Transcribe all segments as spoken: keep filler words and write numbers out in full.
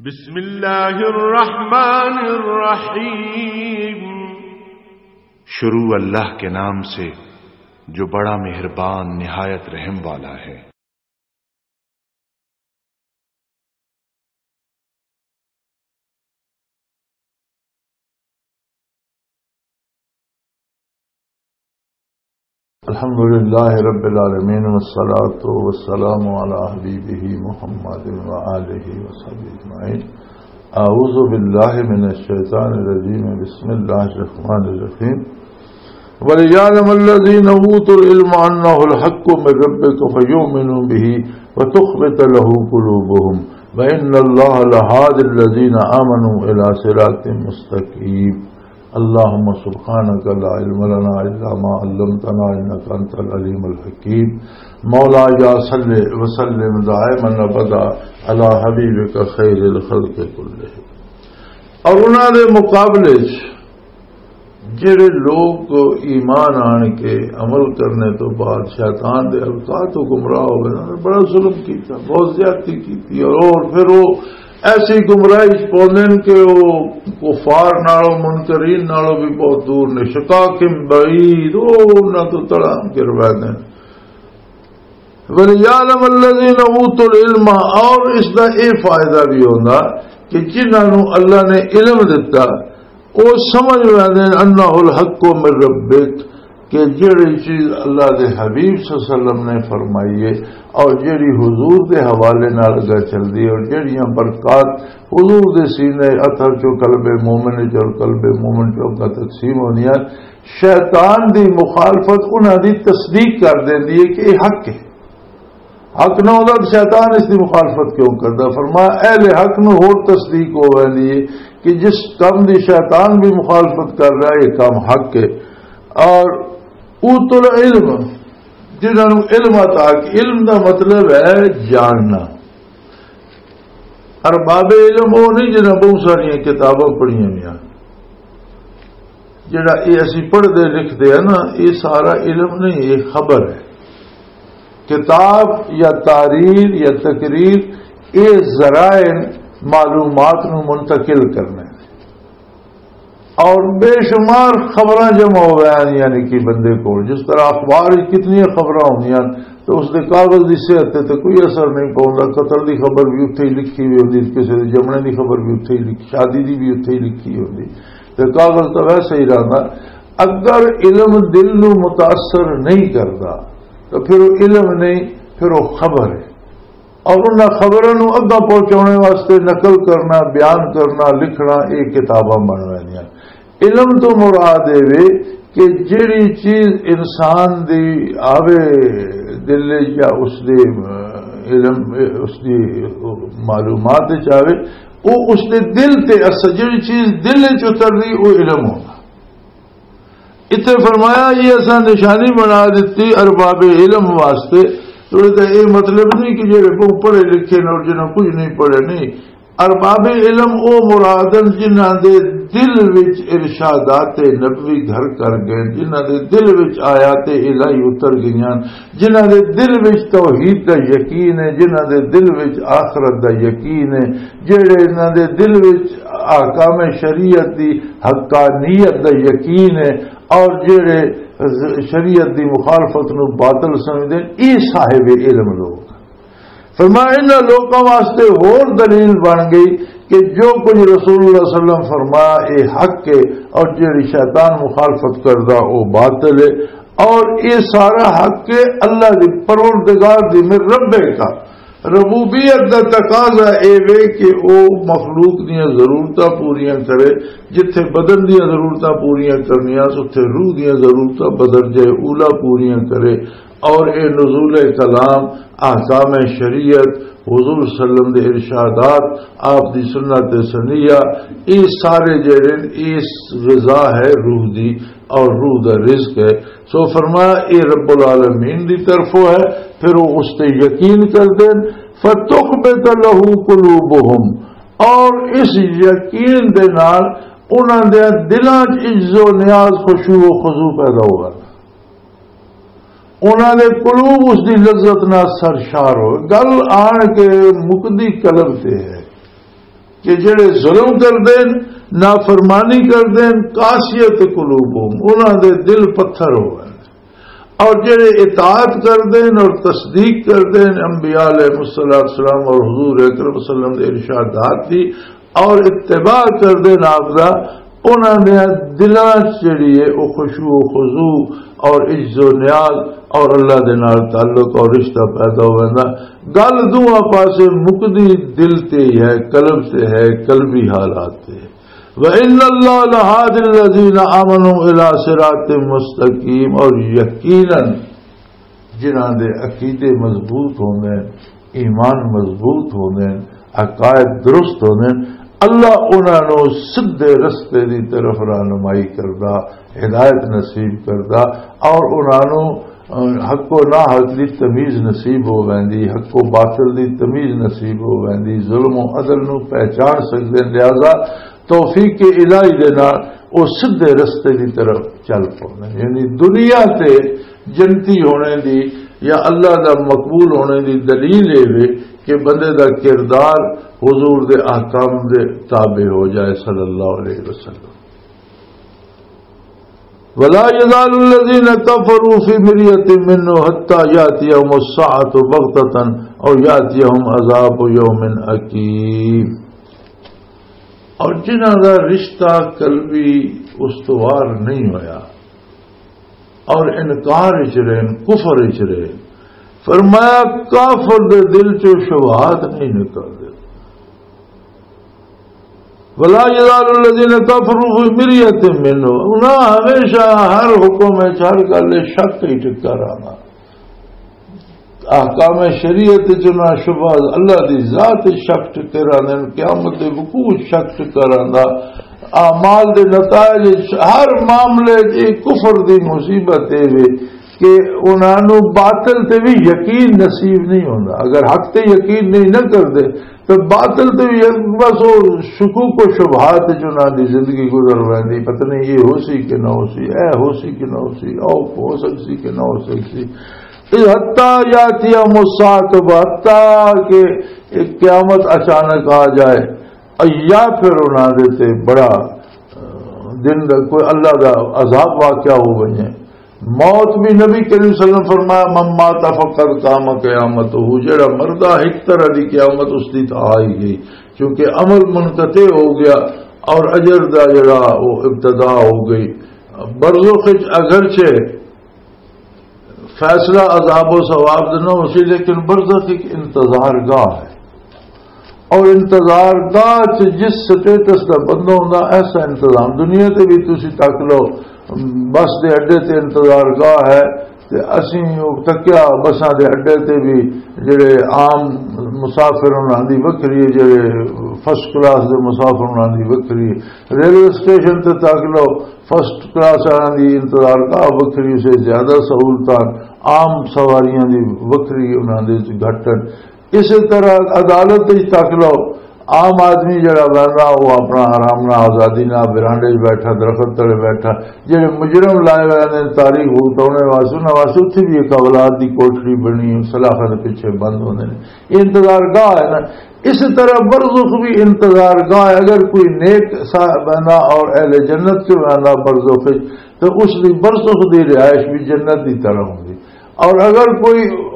بسم اللہ الرحمن الرحیم۔ شروع اللہ کے نام سے جو بڑا مہربان نہایت رحم والا ہے۔ الحمد لله رب العالمين، والصلاة والسلام على حبيبه محمد وآله وصحبه أجمعين. أعوذ بالله من الشيطان الرجيم. بسم الله الرحمن الرحيم. وليعلم الذين أوتوا العلم أنه الحق من ربك فيؤمنوا به وتخبت له قلوبهم وإن الله لهادي الذين آمنوا إلى صراط مستقيم. اللهم سبحانك لا علم لنا إلا ما علمتنا إنك أنت العليم الحكيم. مولاي صل وسلم دائما أبدا على حبيبك خير الخلق كلهم. اور انہاں دے مقابلے 'چ جڑے لوگ ایمان آن کے عمل کرنے تو بعد شیطان دے القاع تو گمراہ ہو گئے، انہوں نے بڑا ظلم کیتا، بہت زیادتی کیتی، اور، اور پھر وہ ایسی گمراہی 'چ پوندے نے کہ وہ کفار نالوں، منکرین نالوں بھی بہت دور نے، شقاق بعید، وہ انہاں تو تڑا گروا دین۔ وَلِيَعْلَمَ الَّذِينَ أُوتُوا الْعِلْمَ، اور اس دا اے فائدہ بھی ہوندا کہ جنہاں نوں اللہ نے علم دتا، او سمجھ لیندے نے، انہ الحق من ربک، کہ جڑی چیز اللہ دے حبیب صلی اللہ علیہ وسلم نے فرمائی ہے اور جڑی حضور دے حوالے نال اگے چلدی ہے اور جڑیاں برکات حضور دے سینے اطہر چوں قلب مومن وچ اور قلب مومن چوں اگے تقسیم ہونیاں، شیطان دی مخالفت انہاں دی تصدیق کر دیندی ہے کہ یہ حق ہے۔ حق نہ ہوندا تو شیطان اس دی مخالفت کیوں کردا؟ فرمایا، اہل حق نو ہور تصدیق ہو ویندی ہے کہ جس کم دی شیطان بھی مخالفت کر رہا ہے، یہ کم حق ہے۔ اور اوت العلم، جنہاں نو علم عطا کی، علم دا مطلب ہے جاننا۔ ارباب علم وہ نہیں جنہاں بہت ساریاں کتاباں پڑھیاں ہوئیاں۔ جڑا یہ اسی پڑھدے لکھدے ہیں نا، یہ سارا علم نہیں، یہ خبر ہے۔ کتاب یا تحریر یا تقریر، یہ ذرائع معلومات نو منتقل کرنے۔ اور بے شمار خبراں جمع ہو گئے ہیں، یعنی کہ بندے کو، جس طرح اخبار وچ کتنی خبراں ہوندیاں، تو اس دے کاغذ دی صحت تے، تے کوئی اثر نہیں پوندا۔ قتل دی خبر بھی اتھے ہی لکھی ہوئی ہوندی، کسی دے جمنے دی خبر بھی اتھے ہی لکھی، شادی دی بھی اتھے ہی لکھی ہوندی، تے کاغذ تو ویسے ہی رہندا۔ اگر علم دل نو متاثر نہیں کردا، تو پھر وہ علم نہیں، پھر وہ خبر ہے۔ اور انہاں خبراں نوں اگاں پہنچاؤنے واسطے نقل کرنا، بیان کرنا، لکھنا، یہ کتاباں بن ویندیاں۔ علم تو مراد اے وے کہ جڑی چیز انسان دی آوے دل وچ یا اس دے، اہ، علم، اس دی معلومات وچ آوے، او اس دے دل تے اثر، جڑی چیز دل وچ اتر رہی، او علم ہونا۔ اتنے فرمایا، یہ اساں نشانی بنا دیتی ارباب علم واسطے۔ تو یہ مطلب نہیں کہ جڑے بہت پڑھے لکھے نے اور جنہاں کچھ نہیں پڑھے، نہیں۔ ارباب علم او مراد ہن جنہاں دے دل وچ ارشادات نبوی گھر کر گئے، جنہاں دے دل وچ آیات الہی اتر گئیاں، جنہاں دے دل وچ توحید دا یقین ہے، جنہاں دے دل وچ آخرت دا یقین ہے، جڑے انہاں دے دل وچ احکام شریعت دی حقانیت دا یقین ہے، اور جڑے شریعت دی مخالفت نو باطل سمجھدے ہیں، اے صاحب علم لوگ۔ فرمایا، انہاں لوکاں واسطے ہور دلیل بن گئی کہ جو کچھ رسول اللہ صلی اللہ علیہ وسلم فرمایا، اے حق ہے، اور جڑی شیطان مخالفت کردا، او باطل ہے، اور اے سارا حق ہے اللہ دی پروردگار دی، من ربک۔ ربوبیت دا تقاضا اے وے کہ او مخلوق دیاں ضرورتاں پوریاں کرے، جتھے بدن دیاں ضرورتاں پوریاں کرنیاں، اتھے روح دیاں ضرورتاں بدرجہ اولا پوریاں کرے۔ اور اے نزول کلام، احکام شریعت، حضور صلی اللہ علیہ وسلم دے ارشادات، آپ دی سنت سنیہ، اے سارے جڑے نے، اے غذا ہے روح دی اور روح دا رزق ہے۔ سو فرمایا، اے رب العالمین دی طرفوں ہے، پھر وہ اس تے یقین کر دین۔ فَتُخْبِتَ لَهُ قُلُوبُهُمْ، اور اس یقین دے نال انہاں دے دلاں 'چ عجز و نیاز، خشوع و خضوع پیدا ہوگا۔ انہاں دے قلوب اس دی لذت نال سرشار ہو۔ گل آن کے مکدی قلب تے ہے۔ کہ جڑے ظلم کردے نے، نافرمانی کردے نے، قاسیت قلوبہم، انہاں دے دل پتھر ہو گئے۔ اور جڑے اطاعت کردے نے اور تصدیق کردے نے انبیاء علیہ الصلوۃ والسلام اور حضور اکرم صلی اللہ علیہ وسلم دے ارشادات دی، اور اتباع کردے نے آپ دا، انہاں دے دلاں چ جڑی ہے او خشوع و خضوع اور عجز و نیاز اور اللہ دے نال تعلق اور رشتہ پیدا ہو ویندا۔ گل دوواں پاسے مکدی دل تے ہی ہے، قلب تے ہے، قلبی حالات تے ہے۔ وَإِنَّ اللَّهَ لَهَادِ الَّذِينَ آمَنُوا إِلَىٰ صِرَاطٍ مُّسْتَقِيمٍ، اور یقیناً جنہاں دے عقیدے مضبوط ہوندے نے، ایمان مضبوط ہوندے نے، عقائد درست ہوندے نے، اللہ انہاں نوں سدھے رستے دی طرف رہنمائی کردا، ہدایت نصیب کردا، اور انہاں نوں، اہ، حق و ناحق دی تمیز نصیب ہو ویندی، حق و باطل دی تمیز نصیب ہو ویندی، ظلم و عدل نوں پہچان سکدے نے۔ لہذا توفیق الہی دے نال او سدھے رستے دی طرف چل پوندے نے۔ یعنی دنیا تے جنتی ہونے دی یا اللہ دا مقبول ہونے دی دلیل اے وے کہ بندے دا کردار حضور دے احکام دے تابع ہو جائے صلی اللہ علیہ وسلم۔ ولا يزال الذين كفروا في مرية منه حتى يأتيهم الساعة بغتة أو يأتيهم عذاب يوم أليم۔ اور جنہاں دا رشتہ قلبی استوار نہیں ہویا اور انکار وچ رہن، کفر وچ رہن، فرمایا کافر دے دل چوں شبہات نہیں نکلدے۔ ولا یزال الذین کفروا فی مریۃ منہ، انہاں ہمیشہ ہر حکم وچ، ہر گل وچ شک ہی ٹکا رہنا۔ احکام شریعت وچ نہ شبہ، اللہ دی ذات وچ شک ٹکے رہندے نے، قیامت دے وقوع وچ شک ٹکا رہندا، اعمال دے نتائج وچ، ہر معاملے وچ۔ یہ کفر دی مصیبت اے وے کہ انہاں نوں باطل تے بھی یقین نصیب نہیں ہوندا۔ اگر حق تے یقین نہیں نہ کردے تو باطل تے بھی، بس وہ شکوک و شبہات وچ انہاں دی زندگی گزر ویندی، پتہ نہیں یہ ہو سی کہ نہ ہو سی، اے ہو سی کہ نہ ہو سی، او ہو سکسی کہ نہ ہو سکسی۔ حتیٰ یاتیہم الساعۃ، حتیٰ کہ ایک قیامت اچانک آ جائے، یا پھر انہاں دے تے بڑا، آ، دن دا کوئی اللہ دا عذاب واقعہ ہو ونجے۔ موت بھی نبی کریم صلی اللہ علیہ وسلم فرمایا، "من مات فقد قام قیامتہ"، جڑا مردہ ایک طرح دی قیامت اس دی تو آ ہی گئی، کیونکہ عمل منقطع ہو گیا اور اجر دا جڑا وہ ابتدا ہو گئی۔ برزخ وچ اگرچہ فیصلہ عذاب و ثواب دا نہ ہو سی، لیکن برزخ ایک انتظار گاہ ہے۔ اور انتظار گاہ چ جس سٹیٹس دا بندہ ہوندا، ایسا انتظام دنیا تے بھی تسی تک لو، بس دے اڈے تے انتظار گاہ ہے، تے اسیں او تکیا بساں دے اڈے تے بھی جڑے عام مسافر انہاں دی وکھری ہے، جڑے فرسٹ کلاس دے مسافر انہاں دی وکھری ہے۔ ریلوے اسٹیشن تے تک لو، فرسٹ کلاس والیاں دی انتظار گاہ وکھری، اسے زیادہ سہولتاں، عام سواریاں دی وکھری، انہاں دے وچ گھٹ ہن۔ اسی طرح عدالت وچ تک لو، عام آدمی جڑا بہندا، وہ اپنا آرام نال، آزادی نال، برانڈے وچ بیٹھا، درخت تلے بیٹھا۔ جڑے مجرم لائے ہوئے نے تاریخ بھگتاؤنے واسطے، انہاں واسطے اتھے بھی ایک اولاد دی کوٹڑی بنی، سلاخاں دے پیچھے بند ہوندے نے۔ یہ انتظار گاہ ہے نا۔ اس طرح برزخ بھی انتظار گاہ ہے۔ اگر کوئی نیک صاحب بہندا اور اہل جنت چ بہندا برزخ وچ، تو اس دی برزخ دی رہائش بھی جنت دی طرح ہوندی۔ اور اگر کوئی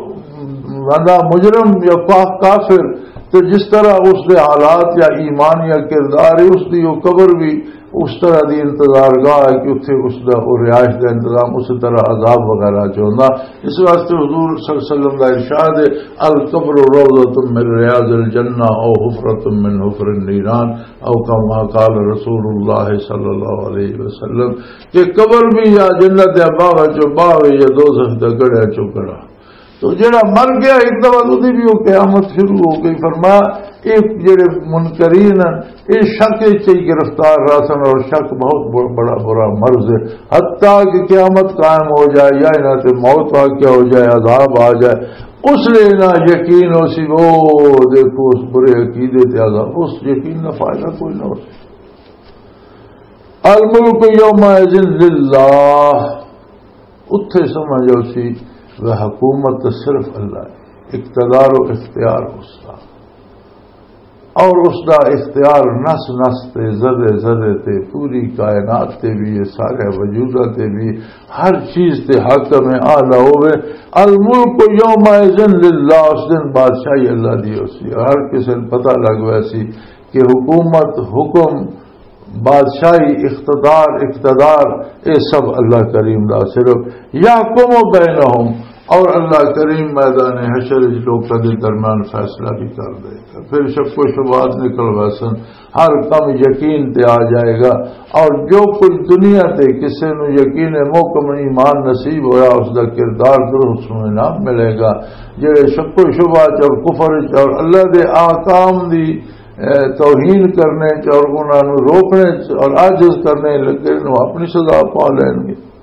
بندہ مجرم یا پاک کافر، تو جس طرح اس دے حالات یا ایمان یا کردار ہے، اس دی وہ قبر بھی اس طرح دی انتظار گاہ ہے کہ اتھے اس دا، وہ رہائش دا انتظام اس طرح عذاب وغیرہ چ ہوندا۔ اس واسطے حضور صلی اللہ علیہ وسلم دا ارشاد ہے، "القبر روضۃ من ریاض الجنہ او حفرۃ من حفر النیران"، او کما قال رسول اللہ صلی اللہ علیہ وسلم، کہ قبر بھی یا جنت دے باغ چوں باغ یا دوزخ دے گڑھے چوں گڑھا۔ تو جڑا مر گیا ایک دفعہ، تو دی بھی وہ قیامت شروع ہو گئی۔ فرمایا، یہ جڑے منکرین ہیں، یہ شک وچ ہی گرفتار رہ سن، اور شک بہت ب-، بڑا برا مرض ہے۔ حتیٰ کہ قیامت قائم ہو جائے یا انہاں تے موت واقعہ ہو جائے، عذاب آ جائے، اس لیے نہ یقین ہو سی، وہ دیکھو اس برے عقیدے تے عذاب، اس یقین نہ فائدہ کوئی نہ ہو سی۔ الملک یومئذ للہ، اتھے سمجھ آؤ سی وہ حکومت تو صرف اللہ ہے، اقتدار و اختیار اس کا۔ اور اس دا اختیار نس نس تے، ذرے ذرے تے، پوری کائنات تے بھی، یہ سارے وجوداں تے بھی، ہر چیز تے حاکم اعلیٰ ہوئے۔ الملک یومئذ للہ، اس دن بادشاہی اللہ دی ہو سی۔ ہر کسی نوں پتہ لگ ویسی کہ حکومت، حکم، بادشاہی، اقتدار، اقتدار، اے سب اللہ کریم دا صرف۔ یحکم بینہم، اور اللہ کریم میدان حشر وچ لوکاں دے درمیان فیصلہ بھی کر دے گا۔ پھر شک و شبہات نکل ویسن، ہر کم یقین تے آ جائے گا۔ اور جو کچھ دنیا تے کسے نو یقین محکم ایمان نصیب ہویا، اس دا کردار درست انعام ملے گا۔ جڑے شک و شبہ چ اور کفر چ اور اللہ دے احکام دی، اے، توہین کرنے چ اور انہاں نو روکنے چ اور عاجز کرنے لگے، نو اپنی سزا پا لین گے۔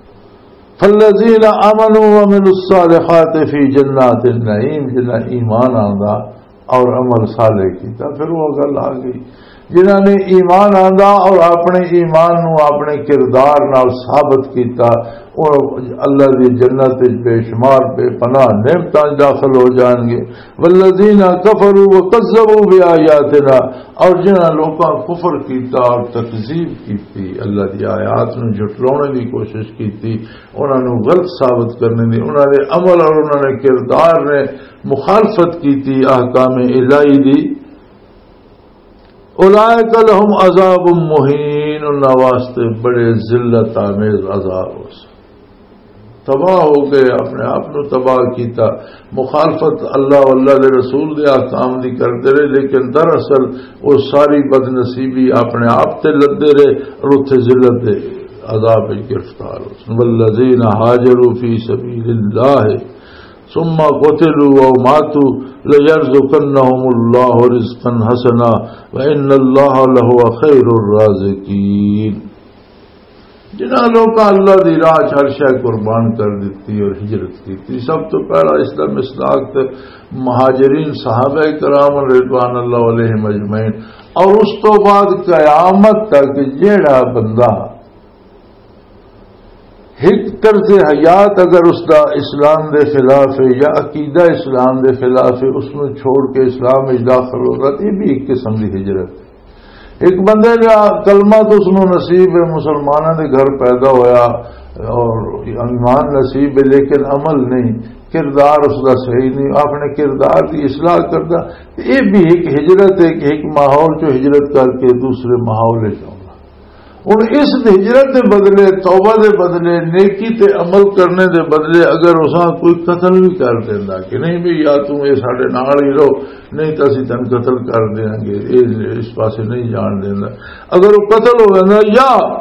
فالذین آمنوا وعملوا الصالحات فی جنات النعیم، جنہاں ایمان آندا اور عمل صالح کیتا، پھر وہ گل آ گئی۔ جنہاں نے ایمان آندا اور اپنے ایمان نو اپنے کردار نال ثابت کیتا، وہ اللہ دی جنت وچ بے شمار بے پناہ نعمتاں وچ داخل ہو جان گے۔ والذین کفروا وکذبوا بآیاتنا، اور جنہاں لوکاں کفر کیتا اور تکذیب کیتی، اللہ دی آیات نوں جھٹلانے دی کوشش کیتی، انہاں نوں غلط ثابت کرنے دی، انہاں دے عمل اور انہاں نے کردار نے مخالفت کیتی احکام الہی دی۔ اولئک لہم عذاب مہین، انہاں واسطے بڑے ذلت آمیز عذاب ہو سی۔ تباہ ہو گئے، اپنے آپ نو تباہ کیتا۔ مخالفت اللہ و اللہ دے رسول دے احکام دی کردے رہے، لیکن دراصل وہ ساری بدنصیبی اپنے آپ تے لدے رہے اور اتھے ذلت دے عذاب وچ گرفتار ہو۔ والذین ہاجروا فی سبیل اللہ ثم قتلوا او ماتوا لیرزقنہم اللہ رزقا حسنا وان اللہ لہو خیر الرازقین۔ جنہاں لوکاں اللہ دی راہ چ ہر شے قربان کر دتی اور ہجرت کیتی، سب تو پہلا اس دا مصداق تے مہاجرین صحابہ کرام رضوان اللہ علیہم اجمعین، اور اس تو بعد قیامت تک جیڑا بندہ ایک طرز حیات اگر اس دا اسلام دے خلاف ہے یا عقیدہ اسلام دے خلاف ہے، اس نو چھوڑ کے اسلام وچ داخل ہوگا، تو یہ بھی ایک قسم دی ہجرت ہے۔ ایک بندے دا کلمہ تو اس نو نصیب ہے، مسلمانوں دے گھر پیدا ہویا اور ایمان نصیب ہے، لیکن عمل نہیں، کردار اس دا صحیح نہیں، اپنے کردار دی اصلاح کردا، یہ بھی ایک ہجرت ہے کہ ایک ماحول چوں ہجرت کر کے دوسرے ماحول وچ آؤنا۔ ہن اس ہجرت دے بدلے، توبہ دے بدلے، نیکی تے عمل کرنے دے بدلے اگر اساں کوئی قتل بھی کر دیندا کہ نہیں بھی، یا توں اے ساڈے نال ہی رہو، نہیں تاں اسی تینوں قتل کر دیاں گے، اے اس پاسے نہیں جان دیندا، اگر وہ قتل ہو ویندا یا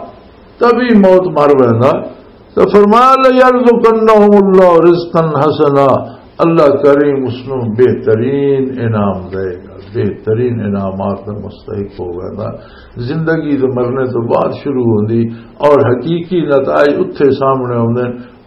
تبھی موت مر ویندا، تو فرمایا، "لیرزقنہم اللہ رزقا حسنا"، اللہ کریم اس نوں بہترین انعام دے گا، بہترین انعامات دا مستحق ہو گیا۔ زندگی تو مرنے تو بعد شروع ہوندی اور حقیقی نتائج اتھے سامنے ہوندے۔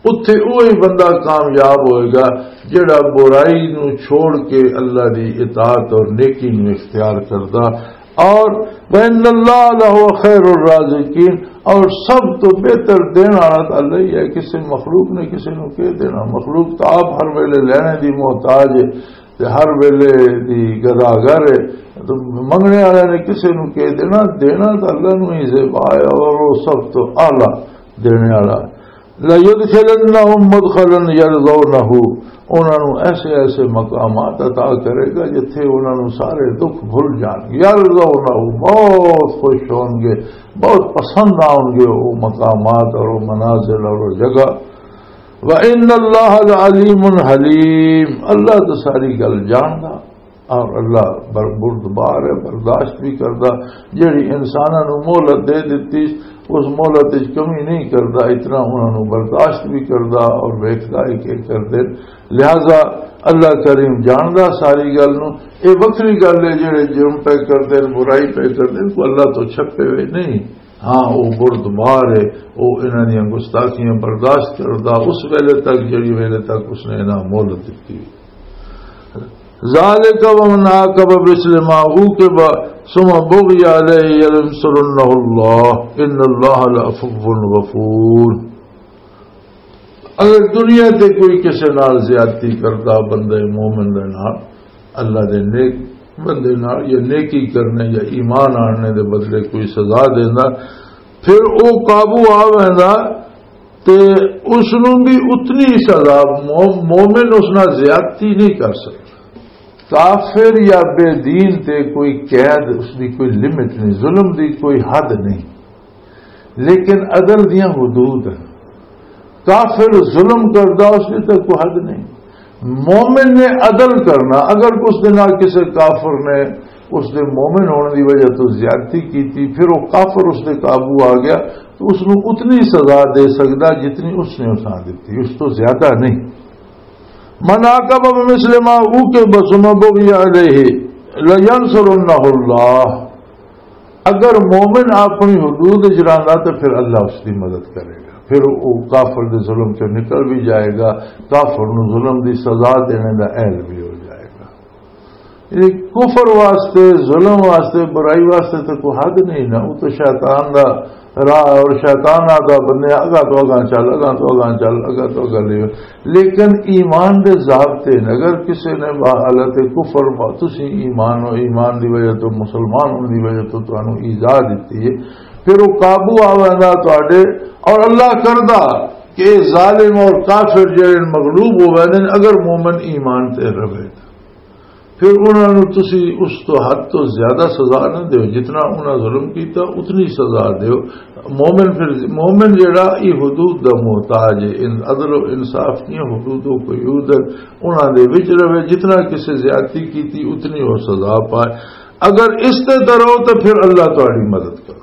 اتھے وہی بندہ کامیاب ہوئے گا جڑا برائی نو چھوڑ کے اللہ دی اطاعت اور نیکی نو اختیار کردا۔ اور وَإِنَّ اللَّهَ لَهُوَ خَيْرُ الرَّازِقِينَ، اور سب تو بہتر دین والا تو اللہ ہی ہے۔ کسی مخلوق نے کسی نو کہہ دینا، مخلوق تو آپ ہر ویلے لینے دی محتاج ہے تے ہر ویلے دی گداگر ہے۔ تو منگنے والے نے کسی نو کہہ دینا، دینا تو اللہ نو ہی زیبا ہے اور وہ سب تو اعلیٰ دینے والا ہے۔ لَيُدْخِلَنَّهُمْ مُدْخَلًا يَرْضَوْنَهُ، انہاں نوں ایسے ایسے مقامات عطا کرے گا جتھے انہاں نوں سارے دکھ بھل جان گے۔ یرضونہ، بہت خوش ہون گے، بہت پسند آؤن گے وہ مقامات اور وہ منازل اور وہ جگہ۔ وَإِنَّ اللَّهَ لَعَلِيمٌ حَلِيمٌ، اللہ تو ساری گل جاندا۔ اور اللہ بر-، بردبار ہے، برداشت بھی کردا۔ جڑی انساناں نوں مہلت دے دتی، اس مہلت وچ کمی نہیں کردا، اتنا انہاں نوں برداشت بھی کردا اور ویکھدا ہے کہ کردے۔ لہذا اللہ کریم جاندا ساری گل نوں۔ اے وکھری گل ہے جڑے جرم پہ کردے، برائی پہ کردے، کوئی اللہ تو چھپے ہوئے نہیں۔ ہاں، وہ بردبار ہے، وہ انہاں دیاں گستاخیاں برداشت کردا اس ویلے تک جڑی ویلے تک اس نے انہاں مہلت دتی۔ ذالک ومن عاقب بمثل ما عوقب ثم بغی علیہ لینصرنہ اللہ ان اللہ لعفو غفور۔ اگر دنیا تے کوئی کسے نال زیادتی کردا بندے مومن دے نال، اللہ دے نیک بندے نال یا نیکی کرنے یا ایمان آننے دے بدلے کوئی سزا دیندا، پھر او قابو آ ویندا تے اس نوں بھی اتنی سزا، مو-، مومن اس نال زیادتی نہیں کر سکتا۔ کافر یا بے دین تے کوئی قید، اس دی کوئی لمٹ نہیں، ظلم دی کوئی حد نہیں۔ لیکن عدل دیاں حدود ہیں۔ کافر ظلم کردا، اس دی تے کوئی حد نہیں۔ مومن نے عدل کرنا، اگر اس دے نال کسے کافر نے اس دے مومن ہونے دی وجہ تو زیادتی کیتی، پھر وہ کافر اس دے قابو آ گیا، تو اس نوں اتنی سزا دے سکدا جتنی اس نے اساں دتی، اس تو زیادہ نہیں۔ من عاقب بمثل ما عوقب ثم بغی علیہ لینصرنہ اللہ۔ اگر مومن اپنی حدود وچ رہندا تو پھر اللہ اس دی مدد کرے گا، پھر وہ کافر دے ظلم چوں نکل بھی جائے گا، کافر نوں ظلم دی سزا دینے دا اہل بھی ہو جائے گا۔ یہ کفر واسطے، ظلم واسطے، برائی واسطے تو کوئی حد نہیں نا، وہ تو شیطان دا راہ ہے، اور شیطان آتا بندے اگا تو اگا چل، اگا تو اگا چل، اگا تو اگا لے۔ لیکن ایمان دے ضابطے نے، اگر کسی نے حالت کفر با-، تسی ایمان ہو، ایمان دی وجہ تو، مسلمان ہونے دی وجہ تو تانوں ایذا دتی ہے، پھر وہ قابو آ ویندا تواڈے، اور اللہ کردا کہ ظالم اور کافر جڑے مغلوب ہو ویندے نے، اگر مومن ایمان تے رہے۔ پھر انہاں نوں تسی اس تو حد تو زیادہ سزا نہ دیو، جتنا انہاں ظلم کیتا اتنی سزا دیو۔ مومن پھر، مومن جڑا ای حدود دا محتاج ہے، ان عدل و انصاف دیاں حدود و قیود ہیں، انہاں دے وچ رہے، جتنا کسے زیادتی کیتی اتنی وہ سزا پائے۔ اگر اس تے ڈرو تو پھر اللہ تہاڈی مدد کرے۔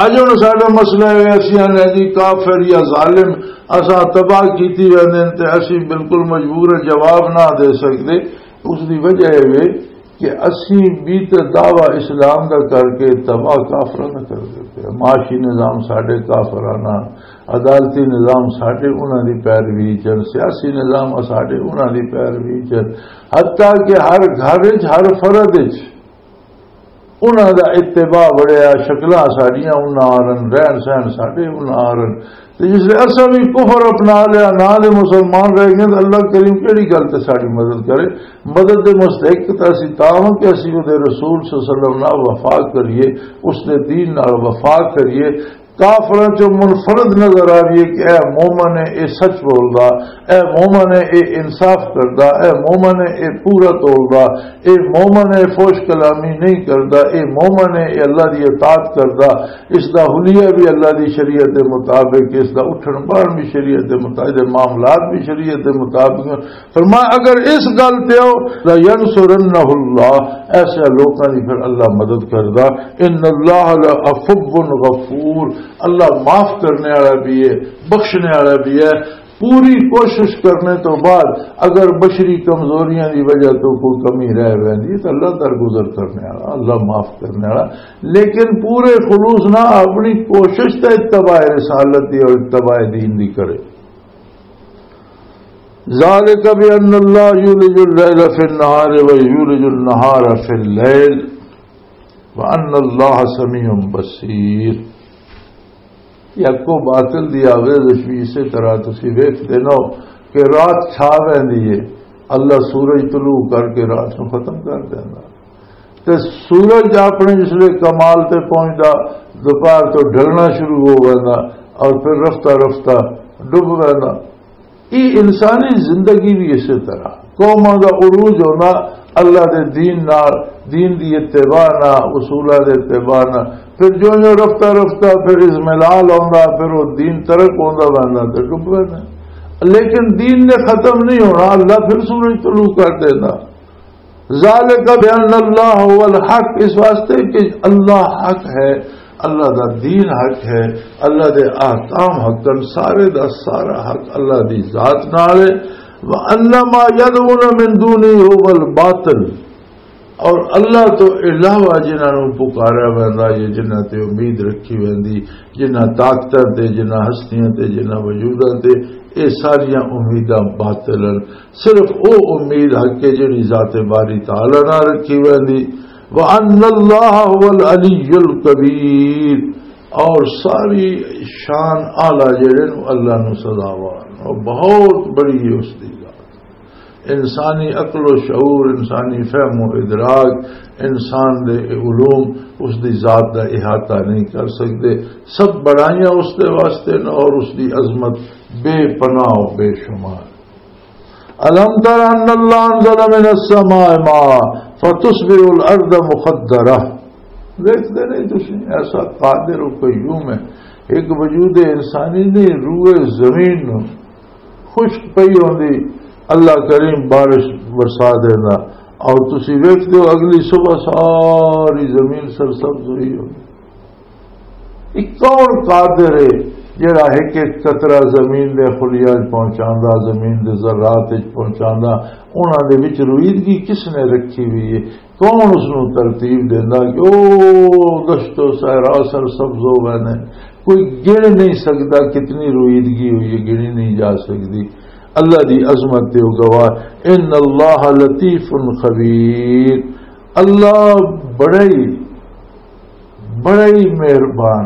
اج ہن ساڈا مسئلہ ہے، اسی آنے جی کافر یا ظالم اساں تباہ کیتی ویندے نے تے اسی بالکل مجبور ہیں، جواب نہ دے سکدے۔ اس دی وجہ یہ وے کہ اسی بھی تے دعویٰ اسلام دا کر کے تباہ کافراں دا کر دیتے ہیں۔ معاشی نظام ساڈے کافرانہ، عدالتی نظام ساڈے انہاں دی پیروی چن، سیاسی نظام ساڈے انہاں دی پیروی چن، حتیٰ کہ ہر گھر وچ، ہر فرد وچ انہاں دا اتباع بڑھیا، شکلاں ساڈیاں انہاں آرن، رہن سہن ساڈے انہاں آرن۔ تے جس لے اساں بھی کفر اپنا لیا، نہ دے مسلمان رہ گئے، تے اللہ کریم کیڑی گل تے ساڈی مدد کرے؟ مدد دے مستحق تے اسی تاں ہاں کہ اسی او دے رسول صلی اللہ علیہ وسلم نال وفا کریے، اس دے دین نال وفا کریے۔ کافراں چوں منفرد نظر آ رہی ہے کہ اے مومن ہے، اے سچ بولدا، اے مومن ہے، اے انصاف کردا، اے مومن ہے، اے پورا تولدا، اے مومن ہے، فوش کلامی نہیں کردا، اے مومن ہے، اے اللہ دی اطاعت کردا، اس دا حلیہ بھی اللہ دی شریعت دے مطابق، اس دا اٹھن بہن بھی شریعت دے مطابق، معاملات بھی شریعت دے مطابق۔ فرمایا، اگر اس گل تے ہو، لَيَنْصُرَنَّهُ اللَّهُ، ایسے لوکاں دی پھر اللہ مدد کردا۔ ان اللہ لعفو غفور، اللہ معاف کرنے والا بھی ہے، بخشنے والا بھی ہے۔ پوری کوشش کرنے تو بعد اگر بشری کمزوریاں دی وجہ تو کوئی کمی رہ ویندی ہے تو اللہ درگزر کرنے والا، اللہ معاف کرنے والا، لیکن پورے خلوص نہ، اپنی کوشش تے اتباع رسالت دی اور اتباع دین دی کرے۔ ذالک بان اللہ یولج اللیل فی النہار و یولج النہار فی اللیل وان اللہ سمیع بصیر۔ یہ کو باطل دی آویزش بھی اسی طرح تسی ویکھ دینا کہ رات چھا ویندی ہے، اللہ سورج طلوع کر کے رات نو ختم کر دینا۔ تے سورج اپنے جسلے کمال تے پہنچدا، دوپہر تو ڈھلنا شروع ہو ویندا اور پھر رفتہ رفتہ ڈب ویندا۔ یہ انسانی زندگی بھی اسی طرح، قوماں دا عروج ہونا اللہ دے دین نال، دین دی اتباع نال، اصولاں دے اتباع نال۔ پھر جو جو رفتہ رفتہ پھر ازملال ہوندا، پھر وہ دین ترک ہوندا ویندا تے ڈب ویندا۔ لیکن دین نے ختم نہیں ہونا، اللہ پھر سورج طلوع کر دینا۔ ذالک بان اللہ هو الحق، اس واسطے کہ اللہ حق ہے، اللہ دا دین حق ہے، اللہ دے احکام حق ہن، سارے دا سارا حق اللہ دی ذات نال ہے۔ وان ما یدعون من دونہ هو الباطل، اور اللہ تو علاوہ جنہاں نوں پکاریا ویندا یا جنہاں تے امید رکھی ویندی، جنہاں طاقتاں تے، جنہاں ہستیاں تے، جنہاں وجوداں تے، اے ساریاں امیداں باطل ہن۔ صرف او امید حق ہے جڑی ذات باری تعالی نہ رکھی ویندی۔ وان اللہ هو العلی الکبیر، اور ساری شان اعلیٰ جڑے نو اللہ نو سزاوار، اور بہت بڑی ہے اس دی ذات۔ انسانی عقل و شعور، انسانی فہم و ادراک، انسان دے علوم اس دی ذات دا احاطہ نہیں کر سکدے۔ سب بڑائیاں اس دے واسطے نے اور اس دی عظمت بے پناہ و بے شمار۔ الم تر ان اللہ انزل من السماء ماء فتصبح الارض مخدرہ۔ دیکھتے نہیں تسی، ایسا قادر و قیوم ہے، ایک وجود انسانی نہیں، روئے زمین نو خشک پئی ہوندی، اللہ کریم بارش برسا دیندا، اور تسی ویکھدے ہو اگلی صبح ساری زمین سرسبز ہوئی ہوندی۔ یہ کون قادر ہے جڑا ایک ایک قطرہ زمین دے خلیاں وچ پہنچاندا، زمین دے ذرات وچ پہنچاندا؟ انہاں دے وچ رویدگی کس نے رکھی ہوئی ہے؟ کون اس نوں ترتیب دیندا کہ او دشت و صحرا سرسبز ہو گئے نے؟ کوئی گن نہیں سکدا کتنی رویدگی ہوئی ہے، گنی نہیں جا سکدی۔ اللہ دی عظمت تے او گواہ، ان اللہ لطیف خبیر، اللہ بڑا ہی، بڑا ہی مہربان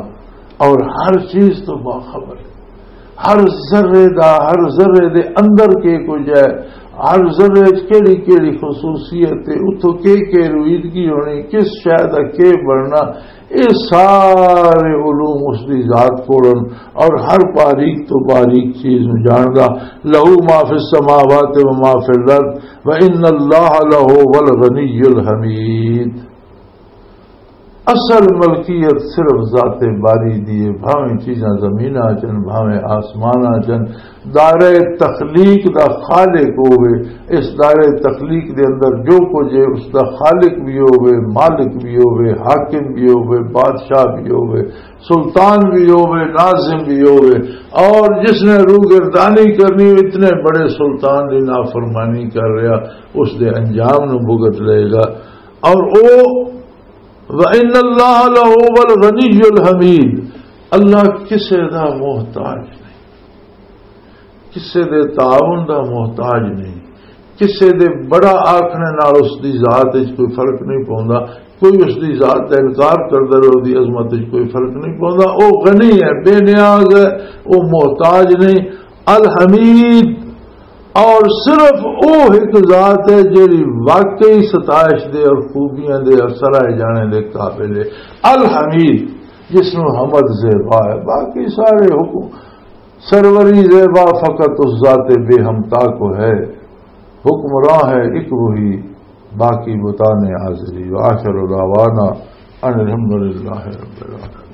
اور ہر چیز تو باخبر ہے۔ ہر ذرے دا، ہر ذرے دے اندر کے کچھ ہے، ہر ذرے وچ کیڑی کیڑی خصوصیت ہے، اتھوں کے کے رویدگی ہونی، کس شے دا کے بننا، یہ سارے علوم اس دی ذات کول ہن۔ اور ہر باریک تو باریک چیز نوں جاندا۔ لہو ما فی السماوات و ما فی الارض و ان اللہ لہو الغنی الحمید۔ اصل ملکیت صرف ذات باری دی ہے، بھاویں چیزاں زمیناں چن، بھاویں آسماناں چن۔ دائرہ تخلیق دا خالق ہووے، اس دائرہ تخلیق دے اندر جو کچھ ہے اس دا خالق بھی ہووے، مالک بھی ہووے، حاکم بھی ہووے، بادشاہ بھی ہووے، سلطان بھی ہووے، ناظم بھی ہووے، اور جس نے روگردانی کرنی ہو، اتنے بڑے سلطان دی نافرمانی کر رہا، اس دے انجام نو بھگت لے گا۔ اور او وَإِنَّ اللَّهَ لَهُوَ الْغَنِيُّ الْحَمِيدُ، اللہ کسے دا محتاج نہیں، کسے دے تعاون دا محتاج نہیں، کسے دے بڑا آکھنے نال اس دی ذات وچ کوئی فرق نہیں پوندا، کوئی اس دی ذات دا انکار کردا رہے، اس دی عظمت وچ کوئی فرق نہیں پوندا۔ او غنی ہے، بے نیاز ہے، او محتاج نہیں۔ الحمید، اور صرف او ایک ذات ہے جیڑی واقعی ستائش دے اور خوبیاں دے اور سرائے جانے دے قابل ہے۔ الحمید، جس نوں حمد زیبا ہے، باقی سارے حکم سروری زیبا فقط اس ذات بے ہمتا کو ہے۔ حکمراں ہے ایک وہی، باقی بتانے حاضری۔ وآخر دعوانا ان الحمدللہ رب العالمین۔